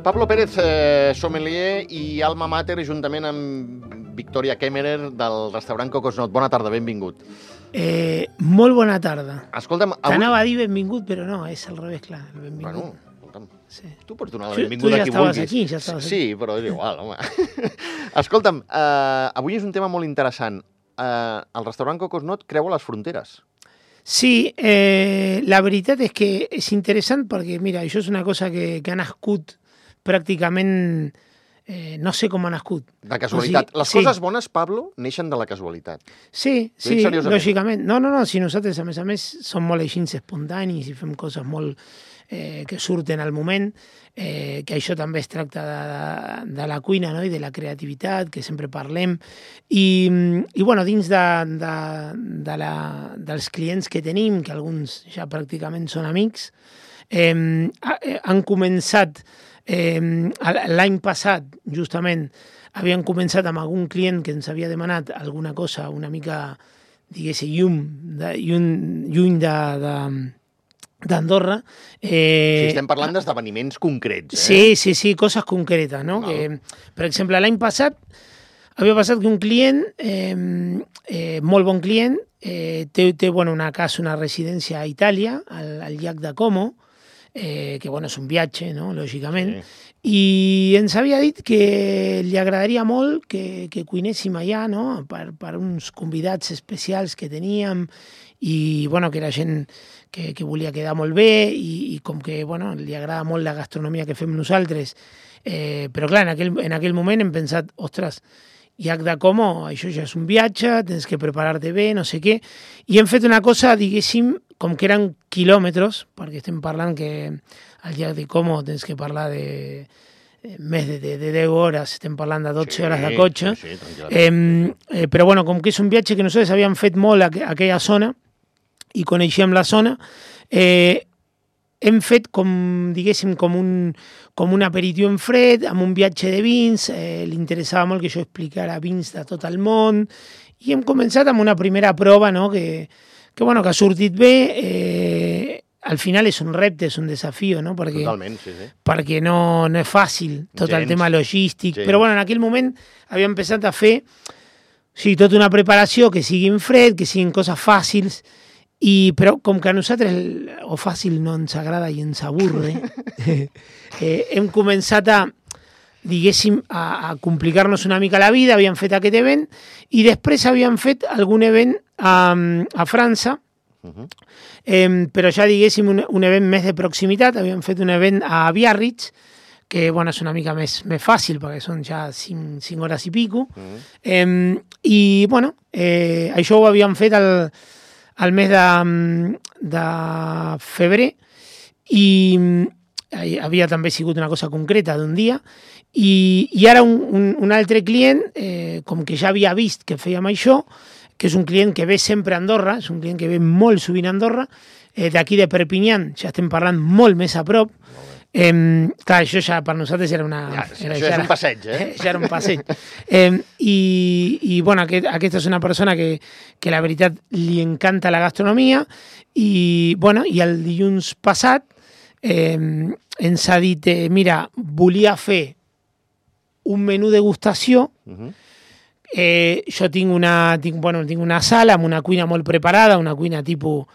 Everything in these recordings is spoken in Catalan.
Pablo Pérez, sommelier i alma mater, juntament amb Victoria Kemmerer del restaurant Cocosnot. Bona tarda, benvingut. Molt bona tarda. Escolta'm, t'anava a dir benvingut, però no, és al revés, clar. Benvingut. Bueno, escolta'm, sí. Tu pots donar la benvinguda a qui vulguis. Aquí, ja estaves aquí. Sí, però és igual, home. Escolta'm, avui és un tema molt interessant. El restaurant Cocosnot creua les fronteres. Sí, la veritat és que és interessant perquè, mira, això és una cosa que ha nascut pràcticament, no sé com ha nascut. De casualitat. Les coses bones, Pablo, neixen de la casualitat. Sí, lògicament. No, si nosaltres, a més, som molt així espontanis i fem coses molt que surten al moment, que això també es tracta de la cuina, no? I de la creativitat, que sempre parlem. I bueno, dins dels clients que tenim, que alguns ja pràcticament són amics, han començat l'any passat, justament, havien començat amb algun client que ens havia demanat alguna cosa una mica, diguéssim, lluny d'Andorra. Estem parlant d'esdeveniments concrets. Sí, coses concretes, no? Que, per exemple, l'any passat havia passat que un client, molt bon client, té una casa, una residència a Itàlia, al llac de Como, que és un viatge, no? Lògicament, i ens havia dit que li agradaria molt que cuinéssim allà, no? Per uns convidats especials que teníem, i que era gent que volia quedar molt bé, i com que li agrada molt la gastronomia que fem nosaltres. Però clar, en aquell moment hem pensat, ostres, llac de Como, això ja és un viatge, tens que preparar-te bé, no sé què, i hem fet una cosa, diguéssim, com que eren quilòmetres, perquè estem parlant que al llac de Como tens que parlar de més de 10 hores, estem parlant de 12 hores de cotxe, però com que és un viatge que nosaltres havíem fet molt a aquella zona i coneixíem la zona, hem fet diguéssim, com un aperitiu en fred, amb un viatge de vins, li interessava molt que jo explicara vins de tot el món, i hem començat amb una primera prova, no?, que ha sortit bé. Al final és un repte, és un desafio, no? Totalment, sí. Perquè no és fàcil tot el tema logístic. Però en aquell moment havíem pensat a fer tota una preparació que sigui en fred, que siguin coses fàcils, però com que a nosaltres o fàcil no ens agrada i ens avorre, hem començat a complicar-nos una mica la vida, havíem fet aquest event, i després havíem fet algun event a França, però ja diguéssim un event més de proximitat. Havíem fet un event a Biarritz, que és una mica més fàcil, perquè són ja 5 hores i pico, i això ho havíem fet al mes de febrer, i havia també sigut una cosa concreta d'un dia, i ara un altre client, com que ja havia vist que fèiem això, que és un client que ve sempre a Andorra, és un client que ve molt sovint a Andorra, d'aquí de Perpinyà, ja estem parlant molt més a prop. Clar, això ja per nosaltres era això és un passeig, Ja era un passeig. Aquesta és una persona que la veritat li encanta la gastronomia, i el dilluns passat ens ha dit, mira, volia fer un menú degustació. Jo tinc una sala amb una cuina molt preparada, una cuina tipus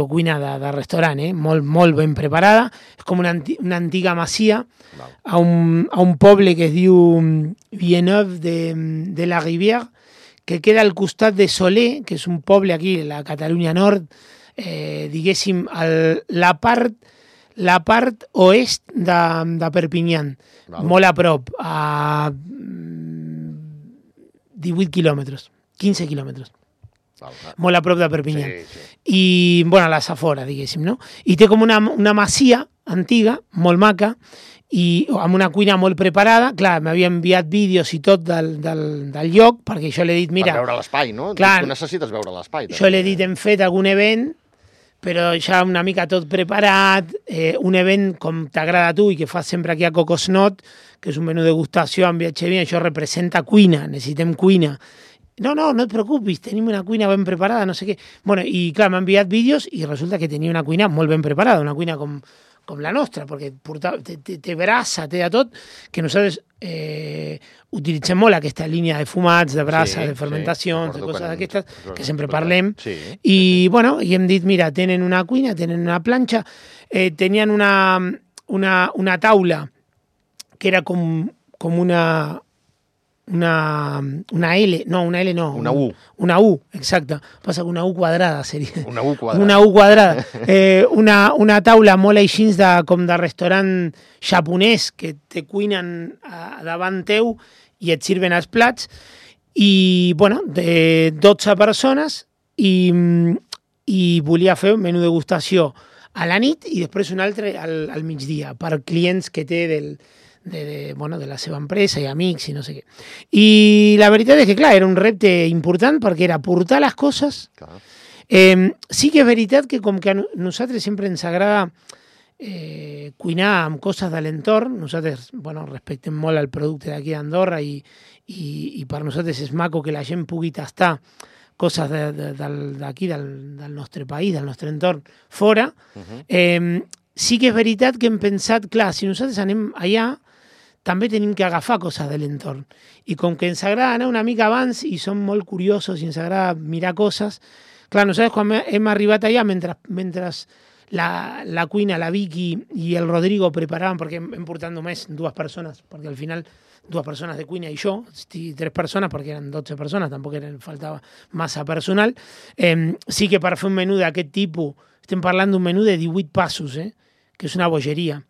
cuina de restaurant, molt ben preparada. És com una antiga masia a un poble que es diu Villeneuve de la Rivière, que queda al costat de Soler, que és un poble aquí, a la Catalunya Nord, la part oest de Perpinyà, molt a prop, a 18 quilòmetres, 15 quilòmetres. Molt a prop de Perpinyà. I, a les afores, diguéssim, no? I té com una masia antiga, molt maca, i amb una cuina molt preparada. Clar, m'havia enviat vídeos i tot del lloc, perquè jo l'he dit, mira... Per veure l'espai, no? Clar, tu necessites veure l'espai. Jo l'he dit, hem fet algun event, però ja una mica tot preparat, un event com t'agrada a tu i que fas sempre aquí a Cocosnot, que és un menú de degustació amb viatge bien, això representa cuina, necessitem cuina. No et preocupis, tenim una cuina ben preparada, no sé què. I clar, m'ha enviat vídeos i resulta que tenia una cuina molt ben preparada, una cuina com com la nostra, perquè té brasa, té de tot, que nosaltres utilitzem molt aquesta línia de fumats, de brasa, de fermentacions, de coses d'aquestes, que sempre parlem. I, bueno, i hem dit, mira, tenen una cuina, tenen una planxa, tenien una taula que era com una L, no, una L no. Una U. Una U, exacte. Passa que una U quadrada seria. Una U quadrada. Una U quadrada. Una taula molt així com de restaurant japonès que te cuinen davant teu i et sirven els plats. I, bueno, de 12 persones i volia fer un menú de degustació a la nit i després un altre al migdia per clients que té de la seva empresa i amics i no sé què. I la veritat és que, clar, era un repte important perquè era portar les coses. Sí que és veritat que com que a nosaltres sempre ens agrada cuinar amb coses de l'entorn, nosaltres respectem molt el producte d'aquí d'Andorra i per nosaltres és maco que la gent pugui tastar coses d'aquí, del nostre país, del nostre entorn, fora. Sí que és veritat que hem pensat, clar, si nosaltres anem allà, també tenim que agafar coses de l'entorn. I com que ens agrada anar una mica abans i som molt curiosos i ens agrada mirar coses, clar, nosaltres quan hem arribat allà, mentre la cuina, la Vicky i el Rodrigo preparaven, perquè hem portat només 2 persones, perquè al final 2 persones de cuina i jo, 3 persones, perquè eren 12 persones, tampoc faltava massa personal. Sí que per fer un menú d'aquest tipus, estem parlant d'un menú de 18 passos, que és una bogeria,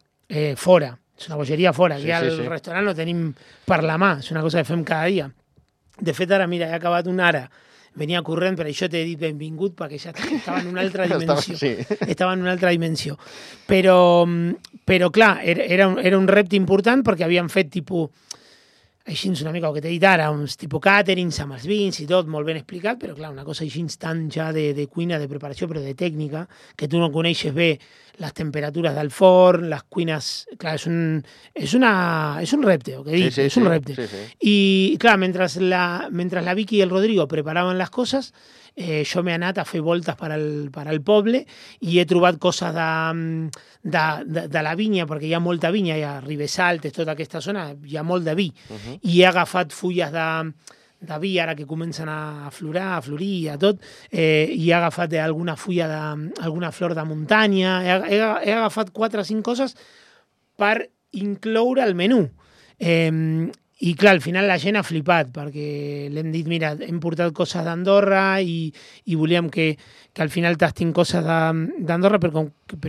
fora. És una bogeria fora, que al restaurant no tenim per la mà, és una cosa que fem cada dia. De fet, ara, mira, he acabat una ara, venia corrent, per això t'he dit benvingut, perquè ja estava en una altra dimensió. Estava en una altra dimensió. Però clar, era un repte important perquè havíem fet tipus, així una mica el que t'he dit ara, uns tipus càterings amb els vins i tot, molt ben explicat, però clar, una cosa així tant ja de cuina, de preparació, però de tècnica, que tu no coneixes bé les temperatures del forn, les cuines... Clar, és un repte, el que dic, és un repte. I clar, mentre la Vicky i el Rodrigo preparaven les coses, jo m'he anat a fer voltes per al poble i he trobat coses de la vinya, perquè hi ha molta vinya, hi ha Ribesaltes, tota aquesta zona, hi ha molt de vi. I he agafat fulles de vi ara que comencen a florir i a tot, i he agafat alguna flor de muntanya, he agafat 4 o 5 coses per incloure el menú. I clar, al final la gent ha flipat, perquè l'hem dit, mira, hem portat coses d'Andorra i volíem que al final tastin coses d'Andorra, però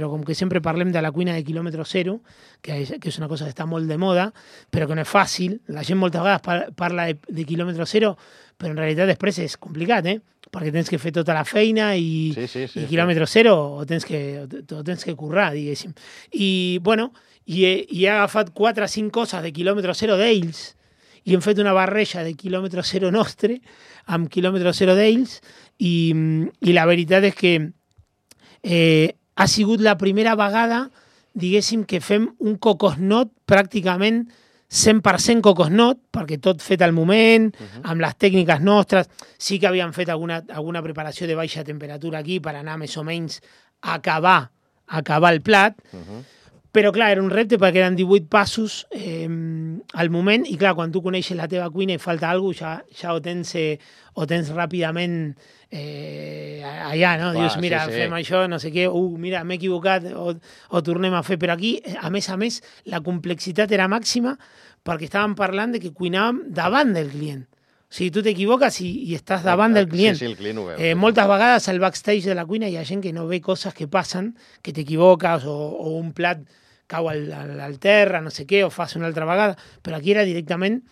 com que sempre parlem de la cuina de quilòmetre zero, que és una cosa que està molt de moda, però que no és fàcil. La gent moltes vegades parla de quilòmetre zero, però en realitat després és complicat, perquè tens que fer tota la feina i quilòmetre zero o tens que currar, diguéssim. I, bueno, i he agafat 4 o 5 coses de quilòmetre zero d'ells i hem fet una barreja de quilòmetre zero nostre amb quilòmetre zero d'ells i la veritat és que ha sigut la primera vegada, diguéssim, que fem un cocosnot pràcticament 100% cocosnot, perquè tot fet al moment, amb les tècniques nostres. Sí que havíem fet alguna preparació de baixa temperatura aquí per anar més o menys a acabar el plat, però clar, era un repte perquè eren 18 passos al moment i clar, quan tu coneixes la teva cuina i falta alguna cosa, ja ho tens ràpidament allà, no? Dius, mira, fem això, no sé què, mira, m'he equivocat, o tornem a fer. Però aquí, a més, la complexitat era màxima perquè estàvem parlant de que cuinàvem davant del client. O sigui, tu t'equivoques i estàs davant del client. Sí, el client ho veu. Moltes vegades al backstage de la cuina hi ha gent que no ve coses que passen, que t'equivoques o un plat cau al terra, no sé què, o fas una altra vegada, però aquí era directament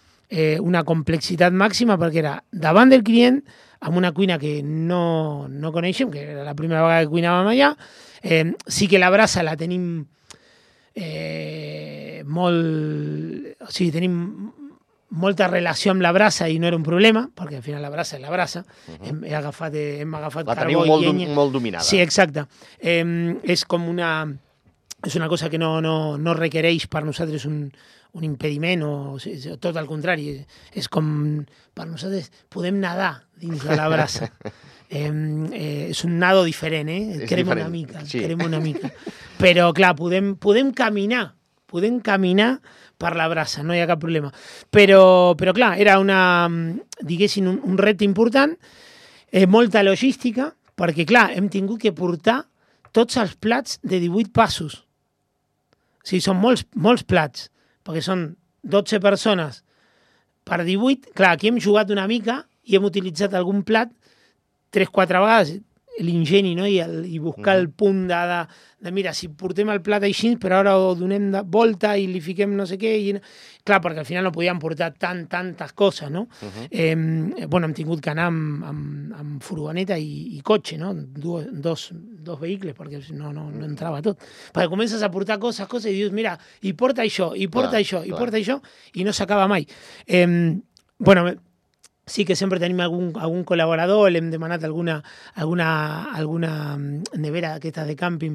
una complexitat màxima perquè era davant del client, amb una cuina que no coneixem, que era la primera vegada que cuinàvem allà. Sí que la brasa la tenim o sigui, tenim molta relació amb la brasa i no era un problema, perquè al final la brasa és la brasa. Hem agafat la carbó i llenya. molt dominada. Sí, exacte. És una cosa que no requereix per nosaltres un impediment, o tot al contrari. És com, per nosaltres, podem nedar dins de la brasa. és un nado diferent, crema una mica, sí. crema una mica. Però, clar, podem caminar per la brasa, no hi ha cap problema. Però clar, era diguéssim, un repte important, molta logística, perquè, clar, hem tingut que portar tots els plats de 18 passos. O sigui, són molts plats, perquè són 12 persones per 18. Clar, aquí hem jugat una mica i hem utilitzat algun plat 3-4 vegades, l'ingeni, no? I buscar el punt de mira, si portem el plat així, però ara ho donem de volta i li fiquem no sé què. Clar, perquè al final no podíem portar tantes coses, no? Bueno, hem tingut que anar amb furgoneta i cotxe, no? Dos vehicles, perquè no entrava tot. Perquè comences a portar coses i dius, mira, i porta això, i porta això, i no s'acaba mai. Bueno, sí que sempre tenim algun col·laborador, l'hem demanat alguna nevera d'aquestes de càmping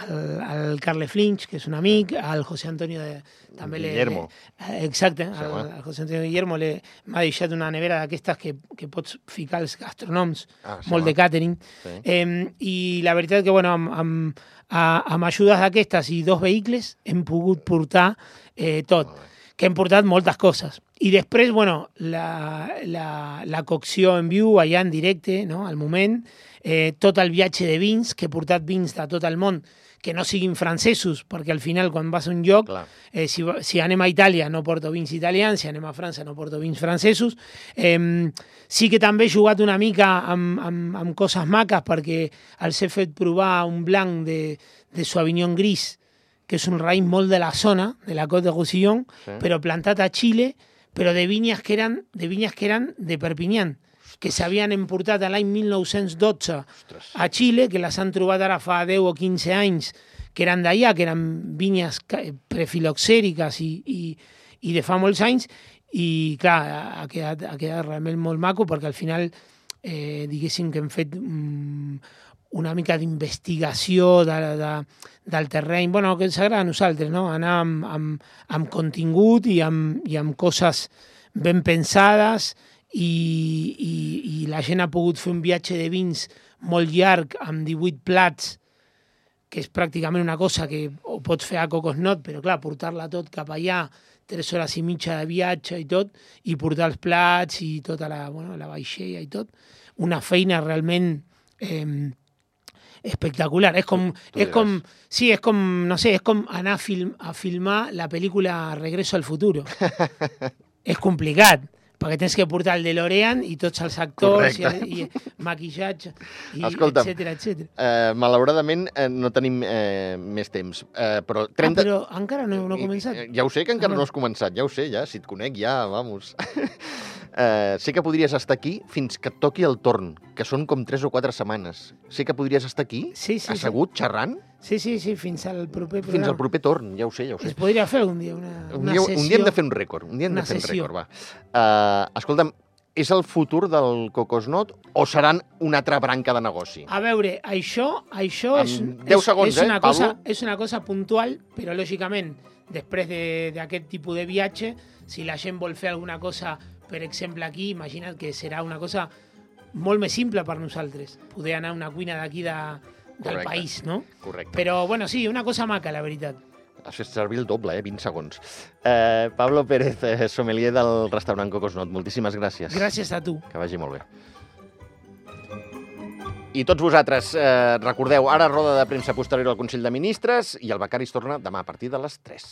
al Carles Flinch, que és un amic, al José Antonio també Guillermo. Exacte, al José Antonio Guillermo m'ha deixat una nevera d'aquestes que pots ficar els gastrònoms, molt de càtering. Sí. I la veritat que, bueno, amb ajudes d'aquestes i 2 vehicles hem pogut portar tot, que hem portat moltes coses. I després, bueno, la cocció en viu, allà en directe, no?, al moment, tot el viatge de vins, que he portat vins de tot el món, que no siguin francesos, perquè al final, quan vas a un lloc, si anem a Itàlia no porto vins italians, si anem a França no porto vins francesos. Sí que també he jugat una mica amb coses maques, perquè els he fet provar un blanc de Sauvignon Gris, que és un raïm molt de la zona, de la Côte de Roussillon, però plantat a Xile, però de vinyes que eren de Perpinyà, que s'havien importat l'any 1912 a Xile, que les han trobat ara fa 10 o 15 anys, que eren d'allà, que eren vinyes prefiloxèriques i de fa molts anys, i clar, ha quedat realment molt maco, perquè al final, diguéssim que hem fet una mica d'investigació del terreny, bueno, que ens agrada a nosaltres, no? Anar amb contingut i amb coses ben pensades, i la gent ha pogut fer un viatge de vins molt llarg, amb 18 plats, que és pràcticament una cosa que ho pots fer a Cocosnot, però clar, portar-la tot cap allà, 3 hores i mitja de viatge i tot, i portar els plats i tota la vaixella i tot, una feina realment espectacular. És com no sé, és com anar a filmar la pel·lícula Regreso al futuro. És complicat, perquè tens que portar el DeLorean i tots els actors i maquillatge, etcètera. Malauradament no tenim més temps. Però encara no he començat. Ja ho sé que encara no has començat, ja ho sé, ja. Si et conec, ja, vamos. Sé que podries estar aquí fins que et toqui el torn, que són com 3 o 4 setmanes. Sé que podries estar aquí, assegut, xerrant. Sí, fins al proper programa. Fins al proper torn, ja ho sé. Es podria fer un dia una sessió. Un dia hem de fer un rècord. Va. Escolta'm, és el futur del Cocosnot o seran una altra branca de negoci? A veure, això és 10 segons, és una cosa puntual, però lògicament, després d'aquest tipus de viatge, si la gent vol fer alguna cosa, per exemple aquí, imagina't que serà una cosa molt més simple per nosaltres, poder anar a una cuina d'aquí del país, no? Correcte. Però, bueno, sí, una cosa maca, la veritat. Has fet servir el doble, 20 segons. Pablo Pérez, sommelier del restaurant Cocosnot, moltíssimes gràcies. Gràcies a tu. Que vagi molt bé. I tots vosaltres, recordeu, ara roda de premsa posterior al Consell de Ministres i el Becari es torna demà a partir de les 3.